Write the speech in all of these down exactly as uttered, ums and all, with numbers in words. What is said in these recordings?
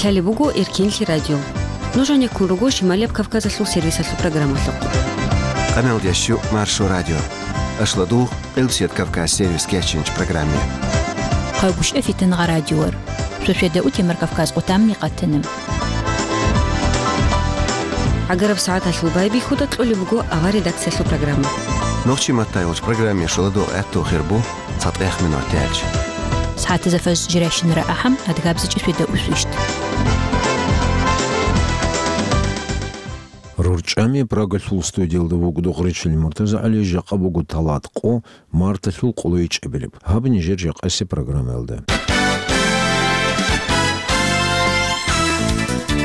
Лъалеб буго Эркенлъи радио. Нуж гьанеккун руго Шималияб Кавказалъул сервисалъул программалъухъ. Къаналдящу Маршо радио. Ашладугъ Къилбсият Кавказ сервис кечинч программе. Хъайбушев Фитангъа радиор. Суседа у Темир Кавказ къутамни къатана. ГӀагараб сагӀаталъул байбихьуда кьолеб буго авар редакциялъул программа. Нохчи маттайолч программе шуладо гӀатту хирбу цатӀех минут тяч. СагӀатазафаз жиращинара ахӀам адгабзичӀи суседа усвищт. РурчӀами Прагалъул студиялда вугода Гъречил МуртазагӀали, жакъа буго талат къо, марталъул къулойчӀебилеб. Гьаб нижер жакъасе программаялда.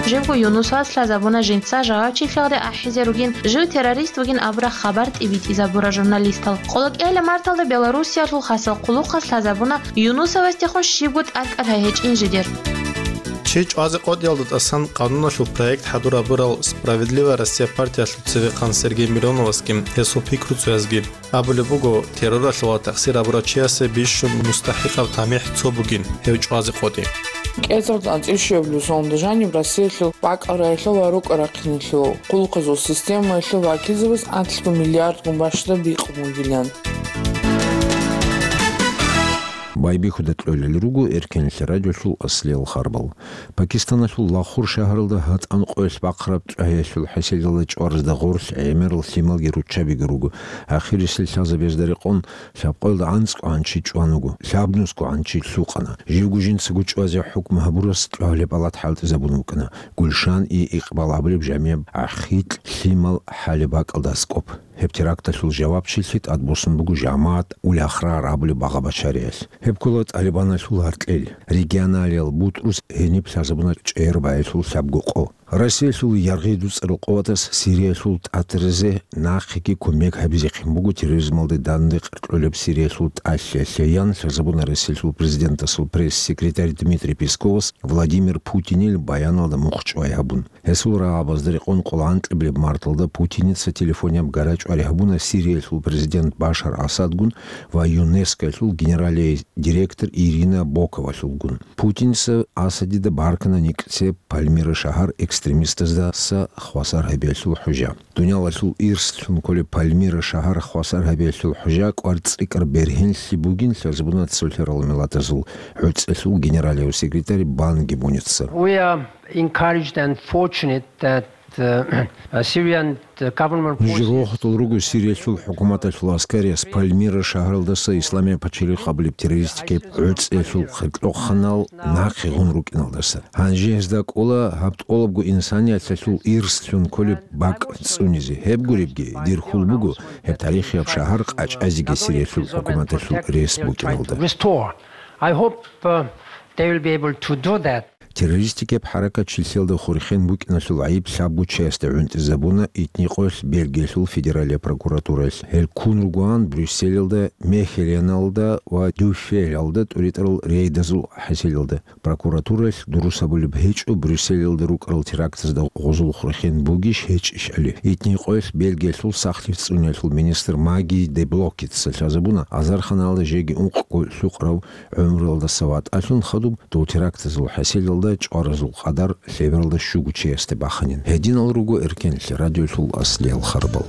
Живго Юнусас лъазабуна жинца жавабчилъиялде ахӀизе ругин, жив террорист вугин абураб хабар тӀибитӀизабура журналистал. Къолокъияле марталда Белоруссиялъул хасал хъулухъас лъазабуна Юнусовасдехун щибго тӀадкӀал гьечӀин жидер. Чи чӀвазе къотӀиялда тӀасан къануналъул проект хӀадурабурал «Справедливая Россия» партиялъул цевехъан Сергей Мироновасги гьесул пикруцоязги абулеб буго, терроралъул ва тахсир абурав чиясе бищун мустахӀикъаб тамихӀ цо бугин гьев чӀвазе къотӀи. КӀезар анцӀил щуабилеб соналда жаниб Россиялъул бакӀал раялъул ва рукӀа-рахъиналъул хъулухъазул системаялъул вакилзабаз анлъго миллиардгун бащдаб бикъун бугилан. Байбихьуда кьолел руго Эркенлъи радиолъул аслиял харбал. Пакистаналъул Лахур шагьаралда гьатӀан къоялъ бахъараб тӀагӀиялъул хӀасилалда чӀваразда гъорлъ гӀемерал лъималги руччабиги руго. Ахирисел лъазабазда рекъон лъабкъоялда анцӀго гӀанчи чӀван вуго, лъабнусго гӀанчи лъукъана. Живго жинцаго чӀвазе хӀукму гьабурас тӀагӀолеб палат хӀалтӀизабун вукӀана. Гульшан и Икъбал абулеб жамияб ахикь лъимал хӀалеб бакӀалда аскӀоб. Гьеб теракталъул жавабчилъи тӀадбуссун буго жамагӀат Уль-Ахрар абулеб багъа-бачариялъ. Гьеб ккола ТӀалибаналъул гьаркьел. Регионалиял бутӀрус гьениб лъазабуна чӀегӀер баялъул лъабго къо. Россиялъул яргъи дуцӀарал къуватас Сириялъул тӀатаризе нахъеги кумек гьабизехъин буго терроризмалде дандекъ кьолеб Сириялъул тӀалъиялъе, ян лъазабуна Россиялъул президентасул пресс-секретарь Дмитрий Песковас Владимир Путинил баяналда мухъ чӀвай гьабун. Гьесул рагӀабазда рекъон къоло анкьабилеб марталда Путиница телефонияб гарачӀвари гьабуна Сириялъул президент Башар Асадгун ва ЮНЕСКОялъул генералияй директор Ирина Боковалъулгун. Путиница Асадида баркана никӀце Пальмира шагьар экстремистаздаса хвасар гьабиялъул хӀужа. Дуниялалъул ирслъун кколеб Пальмира шагьар хвасар гьабиялъул хӀужа кӀвар цӀикӀкӀар бергьенлъи бугин лъазабуна цолъарал миллатазул гӀуцӀелъул генералияв секретарь Бан Ги Муница. We are encouraged and fortunate that uh, Syrian government Нуж forces рохатал руго Сириялъул хӀукуматалъул аскариас Пальмира шагьаралдаса Исламияб пачалихъ абулеб террористикаб гӀуцӀиялъул хъиркьохъанал нахъе гъун рукӀиналдаса. Гьанже гьезда кӀола гьаб тӀолабго инсаниялъул ирслъун кколеб бакӀ цӀунизе. Гьеб гуребги, дир хьул буго гьеб тарихияб шагьар къачӀазеги Сириялъул хӀукуматалъул рес букӀиналда. Restore. I hope uh, they will be able to do that. Террористикаб хӀаракат чилъиялда хурхен букӀиналъул гӀайиб лъабго чиясда гӀунтӀизабуна итникъоялъ Бельгиялъул федералияб прокуратураялъ. Гьел ккун ругоан Брюсселалда, Мехеленалда ва Дюффелалда тӀуритӀарал рейдазул хӀасилалда. Прокуратураялъ дурус абулеб гьечӀо, Брюсселалда рукӀарал терактазда гъозул хурхен бугищ гьечӀищали. Итникъоялъ Бельгиялъул сахлъи цӀуниялъул министр Маги де Блокица лъазабуна, азарханалда жеги ункъго лъукъарав гӀумруялдаса ватӀалъун хадуб, дол терактазул хӀасилалда чӀваразул къадар лъебералда щуго чиясде баханин. Гьединал руго Эркенлъи радиолъул аслиял харбал.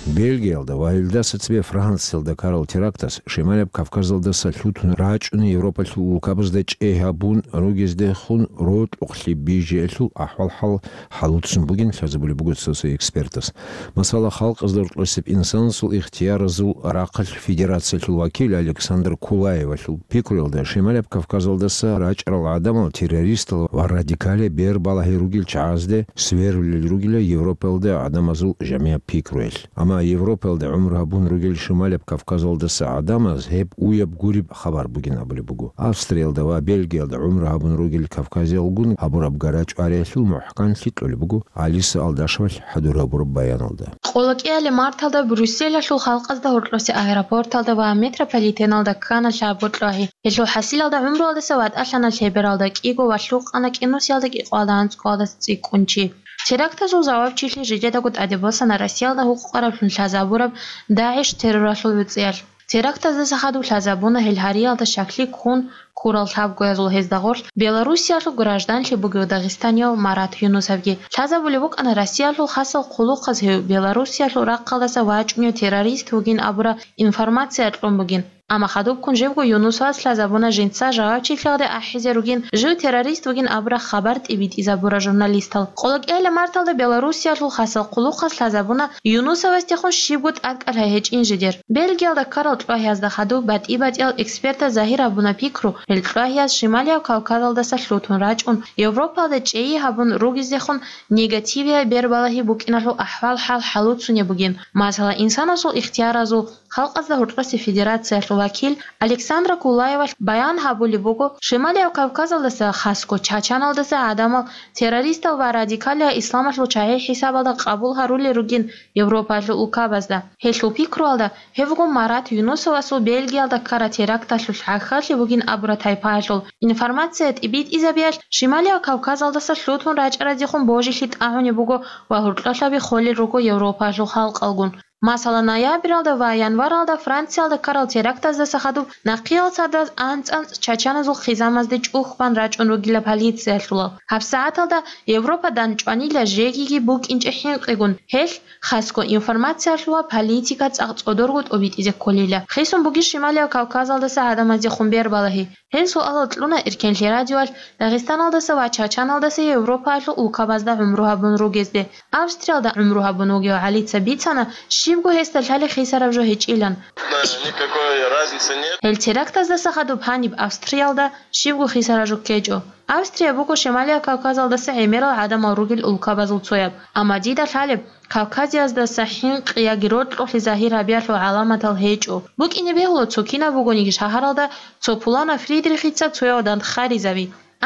Бельгиялда ва гьелдаса цебе Франциялда ккарал терактас Шималаб Кавказалдаса лъутун рачӀуна Европалъул улкабазда чӀей гьабун ругездехун рокьукълъи бижиялъул ахӀвал-хӀал хӀалуцун бугин лъазабулеб буго цо-цо экспертас. Масала, халкъазда рокьосеб инсанасул ихтияразул рахъалъ федерациялъул вакил Александр Кулаевалъул пикруялда, Шималаб Кавказалдаса рачӀарал гӀадамал террористал ва радикале бер балагьи ругел чагӀазде сверулел ругила Европалда гӀадамазул жамигӀаб пикруялъ. Амма Европалда гӀумру гьабун ругел Шималаб Кавказалдаса гӀадамаз гьеб уяб гуреб хабар бугин абулеб буго. Австриялда ва Бельгиялда гӀумру гьабун ругел кавказиялгун гьабураб гарачӀвариялъул мухӀканлъи кьолеб буго Алиса Алдашевалъ хӀадур гьабураб баяналда. Къолокъияле марталда Брюсселалъул халкъазда гьоркьосе аэропорталда ва метрополитеналда ккана лъабго тӀагӀи. Гьелъул хӀасилалда гӀумруялдаса ватӀалъана лъебералда кӀиго ва лъукъана кӀинусиялда кӀикъоялда анцӀкъоялда цӀикӀкӀун чи. Терактазул жавабчилъи жидедаго тӀаде босана Россиялда гьукъукъараблъун лъазабураб ДАГӀиш терроралъул гӀуцӀиялъ. Терактаздаса хадуб лъазабуна гьел гьариялда щаклъи ккун, Хурал лъабгоязул гьезда гъорлъ Белоруссиялъул гражданлъи бугев дагъистанияв Марат Юнусовги. Лъазабулеб букӀана Россиялъул хасал хъулухъаз гьев Белоруссиялъул рахъалдаса вачӀунев террорист вугин абураб информация кьун бугин. Амма хадубккун живго Юнусовас лъазабуна жинца жавабчилъиялде ахӀизе ругин, жив террорист вугин абураб хабар тӀибитӀизабурал журналистал. Къолокъиялъа марталда Белоруссиялъул хасал хъулухъас лъазабуна Юнусовасдехун щибго тӀадкӀал гьечӀин жидер. Бельгиялда ккарал чӀвагьиязда хадуб батӀи-батӀиял экспертаз загьир гьабуна пикру, гьел чӀвагьияз Шималияб Кавказалдаса лъутун рачӀун, Европалда чӀейи гьабун ругезехун негативияб бербалагьи букӀиналъул ахӀвал-хӀал хӀалуцунеб бугин. Масала, инсанасул ихтияразул, халкъазда гьоркьосе федерациялъул вакил Александра Кулаевалъ баян гьабулеб буго, Шималияб Кавказалдаса, хасго Чачаналдаса гӀадамал террористал ва радикалиял исламалъул чагӀи хӀисабалда къабул гьарулел ругин Европалъул улкабазда. Гьелъул пикруялда, гьев вуго Марат Юнусовасул Бельгиялда ккараб теракталъулъ гӀахьаллъи бугин абураб тайпаялъул информация тӀибитӀизабиялъ Шималияб Кавказалдаса лъутун рачӀаразехун божилъи тӀагӀунеб буго ва гьоркьолъаби холел руго Европалъул халкъалгун. Масала, ноябралда ва январалда Франциялда ккарал терактаздаса хадуб нахъеял цадаз анцӀ-анцӀ чачаназул хъизамазде чӀухӀбан рачӀун ругила полициялъулал. ГьабсагӀаталда Европа данчӀванила жегиги букӀинчӀеб хӀинкъигун, гьелъ, хасго, информациялъул ва политика цӀакъ цӀодорго тӀобитӀизе кколила. Хисун бугищ Шималияб Кавказалдаса гӀадамаздехун бербалагьи? Гьел суалал кьуна Эркенлъи радиоялъ Дагъистаналдаса ва Чачаналдаса Европаялъул улкабазда гӀумру гьабун ругезде. Австриялда гӀумру гьабун вугев ГӀалица бицана, щибго гьесда лъалеб хисараб жо гьечӀилан. Да, никакой разницы нет. Гьел терактаздаса хадуб гьаниб Австриялда щибго хисараб жо ккечӀо. Австрия буго Шималияб Кавказалдаса гӀемерал гӀадамал ругел улкабазул цояб. Амма дида лъалеб, Кавказияздаса хӀинкъи яги рокьулъи загьир гьабиялъул гӀаламатал гьечӀо. БукӀине бегьула цо кинаб бугониги шагьаралда цо пуланав Фридрихица цояв дандхъаризе.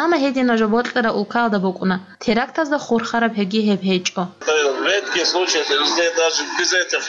Амма гьединаб жо бокьараб улкаялда букӀуна, терактазда хурхараб гьебги гьеб гьечӀо. В редких случаях везде даже без этих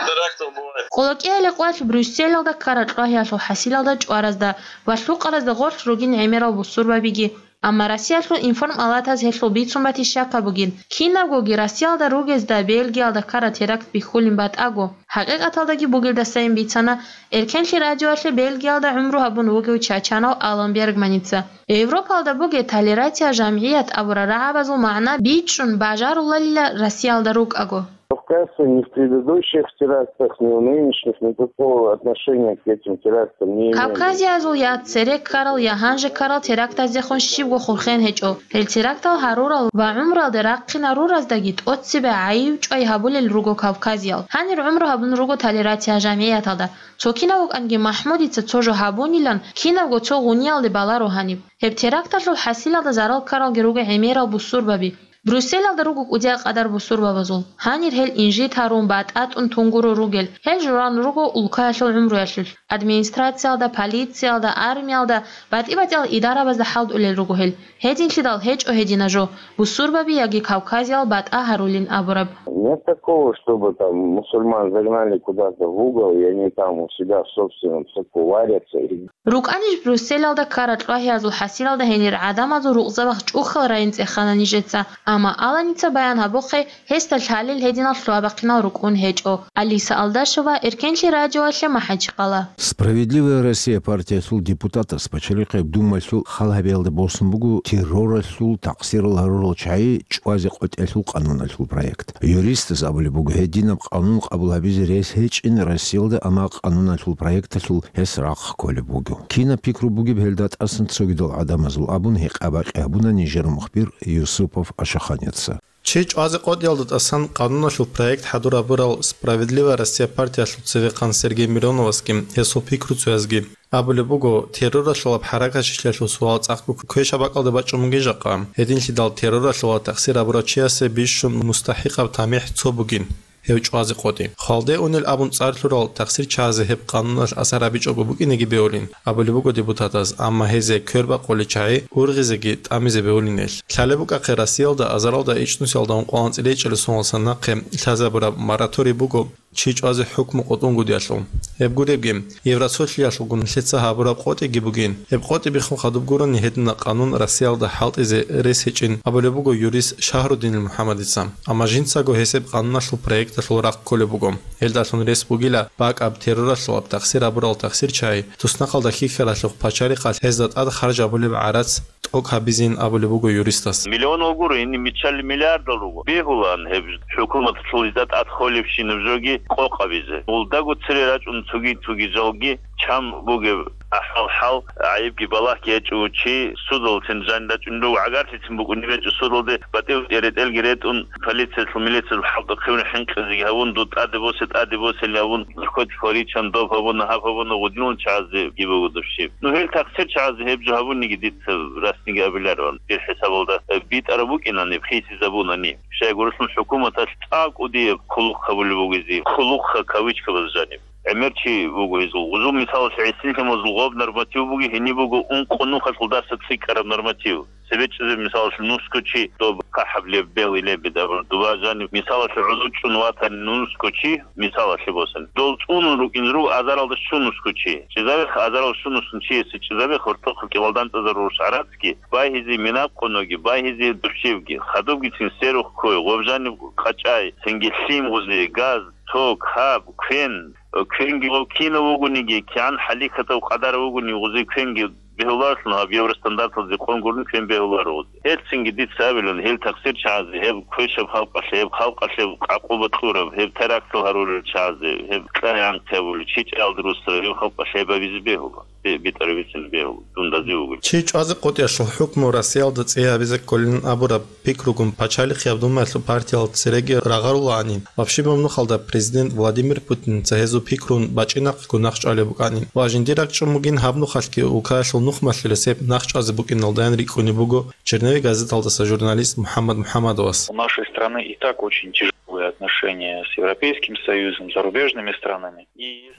терактов бывает. Къолокъиялъе къвалъ Брюсселалда ккараб чӀвагьиялъул хӀасилалда чӀваразда ва лъукъаразда гъорлъ ругин гӀемерал бусурбабиги. Амма Россиялъул информалатаз гьелъул бицун батищ щакаб бугин. Кинабгоги Россиялда ругезда Бельгиялда ккараб теракт бихьулин батӀаго. ХӀакъикъаталдаги бугелдасайин бицана Эркенлъи радиоялъе Бельгиялда гӀумру гьабун вугев чачанав Алан Бергманица. Европалда бугеб толерация жамгӀият абурал рагӀабазул магӀна бичӀчӀун бажаруларила Россиялда рукӀаго. Кавказцы ни в предыдущих терактах, ни в нынешних никакого отношения к этим терактам не имели. Кавказиязул я цере ккарал, я гьанже ккарал терактаздехун щибго хурхен гьечӀо. Гьел терактал гьарурал ва гӀумруялде рахъинарураздаги тӀоцебе гӀайиб-чӀвай гьабулел руго кавказиял. Гьанир гӀумру гьабун руго толерация жамгӀияталда. Цо кинав вукӀанги МахӀмудица цо жо гьабунилан, кинабго цо гъуниялде баларо гьаниб. Гьеб теракталъул хӀасилалда зарал ккаралги руго гӀемерал бусурбаби. Брюсселалда руго кӀудияй къадар бусурбабазул. Гьанир гьел инжит гьарун, батӀа тӀун тунгуро ругел. Гьел журан руго улкаялъул гӀумруялъулъ. Администрациялда, полициялда, армиялда, батӀи-батӀиял идарабазда хӀалтӀулел руго гьел. Гьединлъидал гьечӀо гьединаб жо, бусурбаби яги кавказиял батӀа гьарулин абураб. Нет такого, чтобы там мусульман загнали куда-то в угол, и они там у себя в собственном соку варятся. РукӀанищ Брюсселалда ккараб чӀвагьиязул хӀасилалда гьенир гӀадамазул рукъзабахъ чӀухьал райин цӀехана нижеца, амма Аланица баян гьабухъе, гьесда лъалел гьединал лъугьа-бахъинал рукӀун гьечӀо. Алиса Алдашева, Эркенлъи радиоялъе, МахӀачхъала. Справедливая Россия партиялъул депутатас Пачалихъеб Думаялъул хал гьабиялда босун буго терроралъул такъсирал гьарурал чагӀи чӀвазе къотӀиялъул къануналъул проект. Юристас абулеб буго, гьединаб къанун къабул гьабизе рес гьечӀин Россиялда, амма къануналъул проекталъул гьес рахъ кколеб буго. Кинаб пикру бугеб гьелда тӀасан цогидал гӀадамазул абун гьекъа-бакъи гьабуна нижер мухбир Юсупов Ашаханица. Чи чӀвазе къотӀиялда тӀасан къануналъул проект хӀадур гьабурал Справедливая Россия партиялъул цевехъан Сергей Мироновасги гьесул пикруцоязги абулеб буго, терроралъулаб хӀаракатчилъиялъул суал цӀакъго квешаб бакӀалде бачӀун бугин жакъа. Гьединлъидал терроралъула такъсир гьабурав чиясе бищун мустахӀикъаб тамихӀ цо бугин, гьев чӀвазе къотӀи. Хвалде унел абун цӀар лъурал такъсирчиязе гьеб къануналъ асар гьабичӀого букӀинеги бегьулин, абулеб буго депутатаз, амма гьезе квербакъулел чагӀи ургъизеги тӀамизе бегьулин гьелъ. Лъалеб букӀахъе, Россиялда азаралда ичӀнусиялда ункъоялда анцӀила ичӀабилеб соналдаса нахъе лъазабураб мораторий буго, чи чӀвазе хӀукму къотӀунгутӀиялъул. Гьеб гуребги, Евросоюзалъулгун нилъеца гьабураб къотӀиги бугин. Гьеб къотӀи биххун хадуб гурони гьедина къанун Россиялда хӀалтӀизе рес гьечӀин абулеб буго юрист Шагьруддинил МухӀаммадица. Амма жинцаго гьес гьеб къануналъул проекталъул рахъ кколеб буго. Гьелдалъун рес бугила бакӀаб терроралъулаб тахсир гьабурал тахсирчагӀи, туснахъалда хьихьаралъухъ пачалихъалъ гьезда тӀад харж гьабулеб гӀарац тӀокӀ гьабизин абулеб буго юристас. Миллионал гуро, гьениб миччал миллиардал руго. Бегьулаан гьеб хӀукуматалъул гьезда тӀад холебщинаб жоги къокъ гьабизе. Гьелдаго цере рачӀун цоги-цоги жалги чан бугеб ахӀвал-хӀал, гӀайибги балагьги гьечӀев чи судаллъун жанир рачӀунев, гӀагарлъицин букӀунеб гьечӀо судалде, батӀи-батӀи ретӀелги ретӀун, полициялъул, милициялъул хӀалтӀухъе хӀинкъизеги гьавун, дуда тӀаде босе, тӀаде босейилан абун, хоть хваричан доб гьабуна, гьаб гьабуна, гъудинал чагӀазе гиб буго дов щиб. Ну, гьел тахсир чагӀазе гьеб жо гьабуниги дица расниги абиларо, дир хӀисабалда, э, битӀараб букӀинани, хисизабунани. Щайгурелъул хӀукуматалъ цӀакъ кӀудияб хъулухъ гьабулеб бугези, хъулухъ кавычкабаз жаниб. ГӀемер чи вуго гьезул. Гъузул мисалалъе гӀисинлъимазул гъоб норматив буги, гьениб буго ункъо нухалъул дарса цӀикӀкӀараб норматив. Цебе чӀезе, мисалалъе, нусго чи доб кахӀаблеб, белилеб, даб-, дуба жаниб, мисалалъе, гӀодов чӀун ватани нусго чи, мисалалъе босани. Дол цӀунун рукӀин руго азаралда щун нусго чи. ЧӀезабеха азарал щун нусго чиясе, чӀезабеха гьортохъ кӀивалдантӀазарурус гӀарацги, байгьизе минаб къоноги, байгьизе дурщибги, хадубгицин серухъ ккой, гъоб жаниб къачӀай, цинги лъим гъузе, газ, ток, хаб, квен, квенги гъоб кинав вугониги, кигӀан хӀалихьатав къадар вугони гъузе квенги бегьуларелъун гьаб евростандарталде къон гурони квен бегьуларо гъузе. Гьелцинги дица абилан, гьел тахсир чагӀазе, гьеб квешаб халкъалъе, гьеб халкъалъе къакъуба кьураб, гьеб терактал гьарурел чагӀазе, гьеб кьай-анкъи гьабулел, чичӀаялда русараб, гьеб халкъалъе гьеб гьабизе бегьула. Бе-, битӀараб бицин бегьула, дундазе вугел. Чи чӀвазе къотӀиялъул хӀукму Россиялда цӀи гьабизе кколин абураб пикругун Пачалихъияб Думаялъул партиял цереги рагъарулаани, вабщибаб нухалда президент Владимир Путинца гьезул пикрун бачӀинахъего нахъчӀвалеб букӀани. Ва жиндир ракӀчӀун бугин гьаб нухалъги улкаялъул нухмалъулес гьеб нахъчӀвазе букӀиналдаян рикӀкӀунеб буго Черновик газеталдаса журналист МухӀаммад МухӀаммадовас. У нашей страны и так очень тяжелые отношения с Европейским Союзом, зарубежными странами.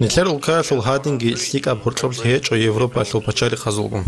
Нилъер улкаялъул гьадинги лъикӀаб гьоркьоблъи гьечӀо Европалъул пачалихъазулгун.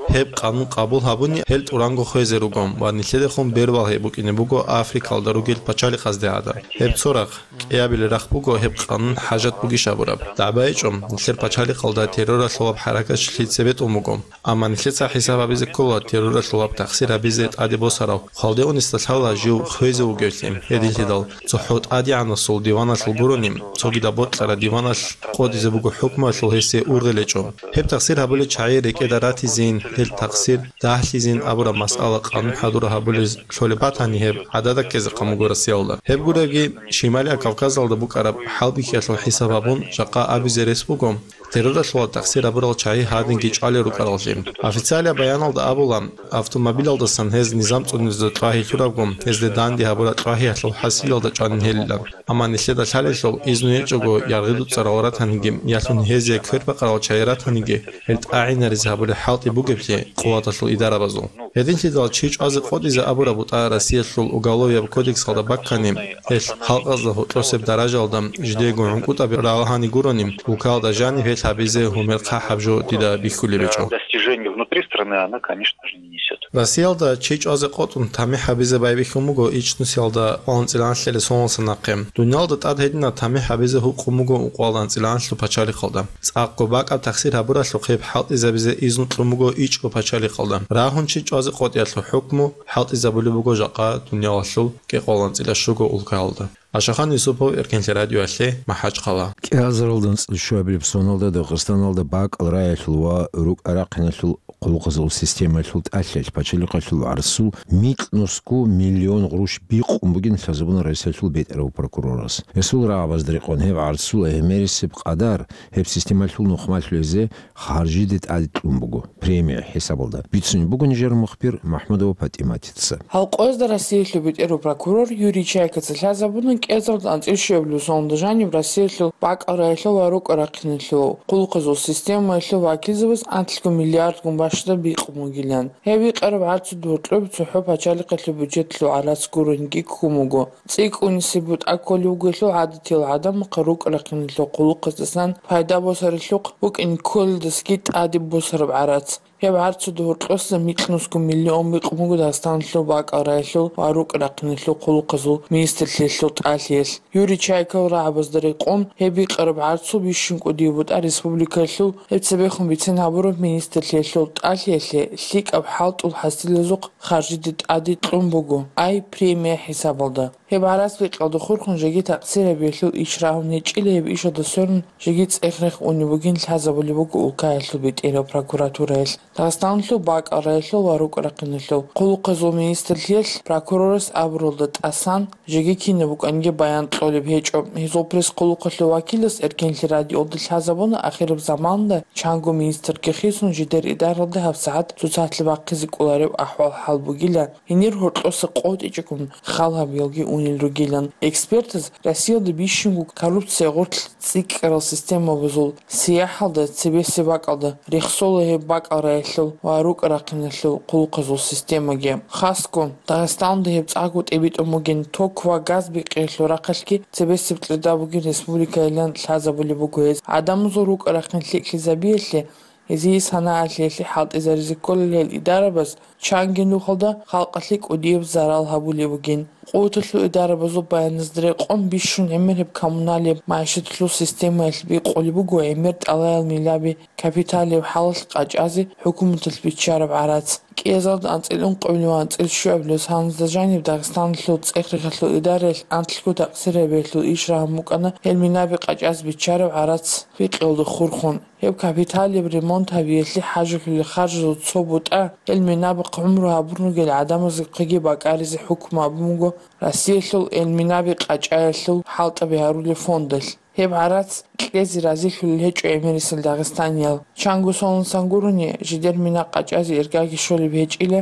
Гьеб къанун къабул гьабуни гьел тӀуранго хвезе руго ва нилъедехун бербал гьеб букӀине буго Африкалда ругел пачалихъазде гӀадаб. Гьеб цо рахъ, кӀиабилеб рахъ буго гьеб къанун хӀажат бугищ абураб. ДагӀба гьечӀо, нилъер пачалихъалда терроралъулаб хӀаракатчилъи цебетӀун буго. Амма нилъеца хӀисаб гьабизе ккола терроралъулаб тахсир гьабизе тӀаде босарав, хвалде унесда лъала жив хвезе вугевлъи. Гьединлъидал, цохӀо тӀадегӀанасул диваналъул гурони, цогидаб бокьараб диваналъ къотӀизе буго хӀукмуялъул гьесие ургъел гьечӀо. Гьеб тахсир гьабулел чагӀи рекӀеда ратизейин, гьел тахсир дагьлъизейин абураб масъала къанун хӀадур гьабулез лъолеб батани, гьеб гӀадада ккезе къан буго Россиялда. Гьеб гуребги, Шималияб Кавказалда букӀараб хӀалбихьиялъул хӀисаб гьабун, жакъа абизе рес буго, терроралъула тахсир гьабурал чагӀи гьадинги чӀвалел рукӀараллъи. Официалияб баяналда абула, автомобилалдасан гьез низам цӀунизда тӀвагьи лъурабго, гьезде данде гьабураб тӀвагьиялъул хӀасилалда чӀванин гьелилан. Амма нилъеда лъалелъул, изну гьечӀого яргъи дуцӀарал ратаниги, ялъун гьезие кверпакъарал чагӀи ратаниги, гьел тӀагӀинаризе гьабулеб хӀалтӀи бугеблъи къуваталъул идарабазул. Гьединлъидал чи чӀвазе къотӀизе абураб бутӀа Россиялъул Уголовияб кодексалда баккани, гьелъ халкъазда гьоркьосеб даражалда жидеего гӀункӀутӀаби ралагьани гурони, улкаялда жаниб гьелъ гьабизе гьумер хъахӀаб жо дида бихьулеб гьечӀо. Достижение внутри страны она, конечно же, не несет. Россиялда чи чӀвазе къотӀун тамихӀ гьабизе байбихьун буго ичӀнусиялда кӀикъоялда анцӀила анлъилеб соналдаса нахъе. Дуниялда тӀад гьединаб тамихӀ гьабизе гьукъун буго ункъоялда анцӀила анлъго пачалихъалда. ЦӀакъго бакӀаб тахсир гьабуралъухъ гьеб хӀалтӀизабизе изну кьун буго ичӀго пачалихъалда. Рагьун чи чӀвазе къотӀиялъул хӀукму хӀалтӀизабулеб буго жакъа дуниялалъул кӀикъоялда анцӀила щуго улкаялда. Ашахан Юсупов, Эркенлъи радиоялъе, МахӀачхъала. КӀиазаралда анцӀила щуабилеб соналда Дагъистаналда бакӀал рагӀиялъул ва рукӀа-рахъиналъул хъулухъазул системаялъул тӀалъаялъ пачалихъалъул гӀарцул микьнусго миллион гъруш бикъун бугин лъазабуна Россиялъул бетӀерав прокурорас. Гьесул рагӀабазда рекъон гьеб гӀарцул гӀемерисеб къадар гьеб системалъул нухмалъулезе харжиде тӀаде кьун буго премия хӀисабалда. Бицунеб буго нижер мухбир МахӀмудова ПатӀиматица. Гьалкъоязда Россиялъул бетӀерав прокурор Юрий Чайкаца лъазабуна кӀиазаралда анцӀила щуабилеб соналда жаниб Россиялъул бакӀал рагӀиялъул ва рукӀа-рахъиналъул хъулухъазул системаялъул вакилзабаз анлъго миллиардгун бащдаб бикъун бугилан. Гьеб бикъараб гӀарцул гьоркьоб цохӀо пачалихъалъул бюджетлъул гӀарац гурониги ккун буго. ЦӀикӀкӀунисеб бутӀа кколев вугелъул гӀадатиял гӀадамахъе рукӀа-рахъиналъул хъулухъаздасан пайда босаралъухъ букӀин кколелдасаги тӀаде босараб гӀарац. Гьеб гӀарцуда гьоркьоса микьнусго миллион бикъун буго Дагъистаналъул бакӀал рагӀилъул ва рукӀ-рахъиналъул хъулухъазул министрлъиялъул тӀалъиялъ. Юрий Чайков рагӀабазда рекъон гьеб бикъараб гӀарцул бищун кӀудияб бутӀа республикалъул гьеб цебехун бицен гьабураб министрлъиялъул тӀалъиялъе лъикӀаб хӀалтӀул хӀасилазухъ харжиде тӀаде кьун буго «Ай» премия хӀисабалда. Гьеб гӀарац бикъалда хурхун жеги такъсир гьабиялъул иш рагьун гьечӀила, гьеб ишалда сверун жеги цӀех-рех унеб бугин лъазабулеб буго улкаялъул бетӀерал прокуратураялъ. Дагъистаналъул бакӀал рагӀилъул ва рукӀ-рахъиналъул хъулухъазул министрлъиялъ прокурорас абуралда тӀасан, жеги кинаб букӀаниги баян кьолеб гьечӀо. Гьезул пресс-хъулухъалъул вакилас Эркенлъи радиоялда лъазабуна, ахираб заманда чанго министрги хисун жидер идаралда гьабсагӀат цоцалъе бахъизе кӀолареб ахӀвал-хӀал бугила. Гьенир гьоркьоса къотӀичӀого хал гьабиялги унел ругилан. Экспертаз Россиялда бищунго коррупция гъорлъ цӀикӀкӀарал системабазул сияхӀалда цебесеб бакӀалда рехсола гьеб бакӀал рагӀилъул ва рукӀ-рахъиналъул хъулухъазул системаги. Хасго, Дагъистаналда гьеб цӀакъго тӀибитӀун бугин ток ва газ бикъиялъул рахъалъги цебесеб кьеда бугин республикайилан лъазабулеб буго гьез. ГӀадамазул рукӀа-рахъин лъикӀлъизабиялъе, гьезие санагӀалъиялъе хӀалтӀизаризе кколел гьел идарабаз чанги нухалда халкъалъе кӀудияб зарал гьабулеб бугин. Къуваталъул идарабазул баяназда рекъон бищун гӀемер гьеб коммуналияб магӀишаталъул системаялъ бикъулеб буго гӀемер тӀалаял миллаби капиталияб хӀалалъ къачӀазе хӀукуматалъ биччараб гӀарац. КӀиазалда анцӀила ункъабилеб ва анцӀила щуабилеб соналда жаниб Дагъистаналъул цӀех-рехалъул идараялъ анлъго такъсир гьабиялъул иш рагьун букӀана гьел минаби къачӀазе биччараб гӀарац бикъиялда хурхун. Гьеб капиталияб ремонт гьабиялъе хӀажалъулел харжазул цо бутӀа, гьел минабахъ гӀумру гьабун ругел гӀадамазухъеги бакӀаризе хӀукму гьабун буго Россиялъул гьел минаби къачӀаялъул хӀалтӀаби гьарулел фондалъ. Гьеб гӀарац кьезе разилъулел гьечӀо гӀемерисел дагъистаниял. Чанго соналдасан гурони, жидер мина къачӀазе иргаги щолеб гьечӀила,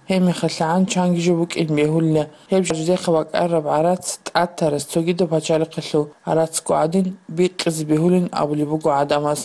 гьебмехалъ гӀан чанги жо букӀин бегьулила. Гьеб жидехъа бакӀараб гӀарац тӀад тарас цогидаб пачалихъалъул гӀарацго гӀадин бикъизе бегьулин абулеб буго гӀадамаз.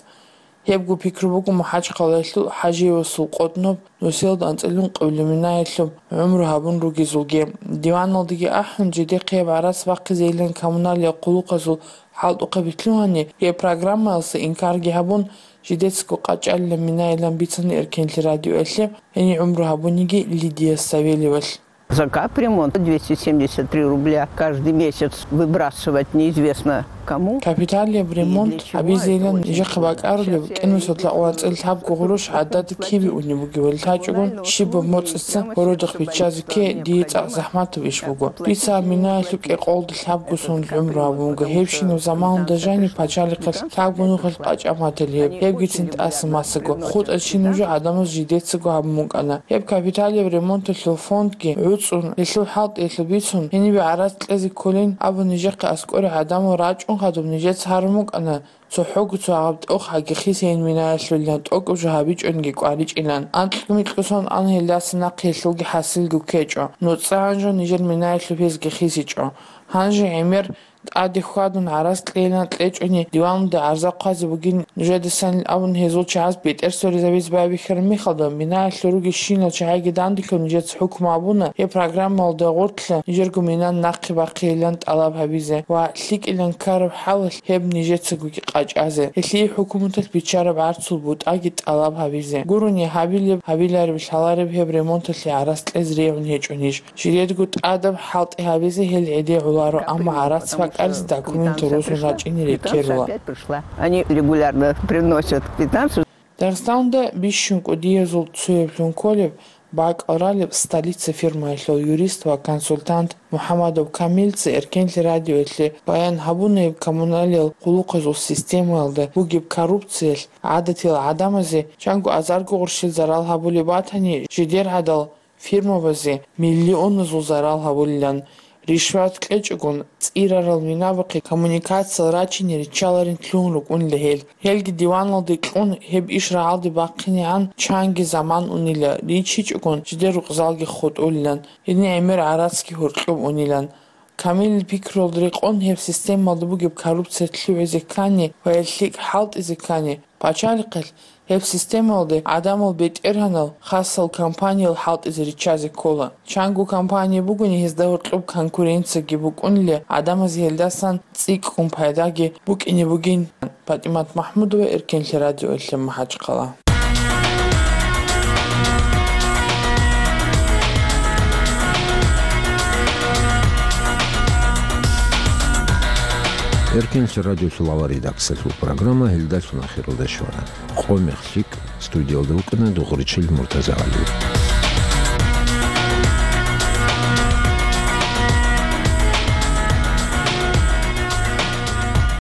Гьебго пикру буго МахӀачхъалаялъул ХӀажиевасул къотӀноб нусиялда анцӀила ункъабилеб минаялъуб гӀумру гьабун ругезулги. Диваналдаги ахӀун, жидехъе гьеб гӀарац бахъизейилан коммуналиял хъулухъазул хӀалтӀухъаби лъугьани, гьеб программаялъа инкарги гьабун, жидецаго къачӀалилан минайилан бицана Эркенлъи радиоялъе гьенив гӀумру гьабуниги Лидия Савельевалъ. За капремонт двести семьдесят три рубля каждый месяц выбрасывать неизвестно кому. Капиталияб ремонт гьабизейилан нижехъе бакӀарулеб кӀинусдалъун анцӀила лъабго гъурущ гӀадада кибе унеб бугебали лъачӀогон, щибаб моцӀица городахъ биччазе кке дие цӀакъ захӀматаб иш буго. Бицараб минаялъул кӀикъоялда лъабго соналъ гӀумру гьабун буго. Гьебщинаб заманалда жаниб пачалихъалъ лъабго нухалъ къачӀа мател гьеб, гьебгицин тӀаса масаго. ХутӀа чи нуж гӀадамаз жидецаго гьабун букӀана. Гьеб капиталияб ремонталъул фондги гӀуцӀун, гьелъул хӀалтӀиялъул бицун, гьенибе гӀарац кьезе кколин абун нижехъе аскӀоре гӀадамал рачӀун хадуб нижеца гьарун букӀана, цохӀого цо гьаб тӀохаги хисейин минаялъулилан тӀокӀаб жо гьабичӀониги кӀваричӀилан. Анкьго-микьго сон ан гьелдаса нахъе гьелъулги хӀасилги ккечӀо. НуцӀа гьанжо нижер минаялъул гьезги хисичӀо. Гьанже гӀемер тӀаде хьвадун гӀарац кьейилан кьечӀони, диваналда гӀарза хъвазе бугин нужедасанил абун гьезул чагӀаз бетӀер соризабизе байбихьараб мехалда, минаялъул ругелщинал чагӀиги данделъун нижеца хӀукму абуна, гьеб программаялда гъорлъа нижерго мина нахъе бахъейилан тӀалаб гьабизе ва лъикӀилан ккараб хӀалалъ гьеб нижецагоги къачӀазе, гьелъие хӀукуматалъ биччараб гӀарцул бутӀаги тӀалаб гьабизе. Гурони гьабилеб, гьабилареб, лъалареб гьеб ремонталъе гӀарац кьезе регӀун гьечӀо ниж. Жидедго тӀадаб хӀалтӀи гьабизе гьел гӀеде гӀоларо, амма гӀарац бакӀаризе документал росун рачӀине рекерула. Они регулярно приносят квитанцию. Дагъистаналда бищун кӀудиязул цояблъун кколеб бакӀал ралеб «Столица» фирмаялъул юрист ва консультант Мухаммадов Камилца Эркенлъи радиоялъе баян гьабуна гьеб коммуналиял хъулухъазул системаялда бугеб коррупциялъ гӀадатиял гӀадамазе чанго азарго гъурщил зарал гьабулеб батани, жидер гӀадал фирмабазе миллионазул зарал гьабулилан. Ришват кьечӀогун, цӀирарал минабахъе коммуникациял рачине риччаларин лъугьун рукӀунила гьел. Гьелги диваналде кьун, гьеб иш рагӀалде бахъинегӀан чанги заман унила, риччичӀогун, жидер рукъзалги хутӀулилан, гьедин гӀемер гӀарацги гьоркьоб унилан. Камилил пикруялда рекъон, гьеб системалда бугеб коррупция лъугӀизе ккани ва гьел лъикӀ хӀалтӀизе ккани, пачалихъалъ гьеб системалде гӀадамал бетӀергьанал хасал компаниял хӀалтӀизе риччазе ккола. Чанго компания бугони, гьезда гьоркьоб конкуренцияги букӀунила, гӀадамазе гьелдасан цӀикӀкӀун пайдаги букӀине бугин. ПатӀимат МахӀмудова, Эркенлъи радиоялъе, МахӀачхъала. Эркенлъи радиолъул авария редакциялъул программа гьелдалъун ахиралде щвана. Къо-мех лъикӀ, студиялда вукӀана Дугъричил Муртазагьали.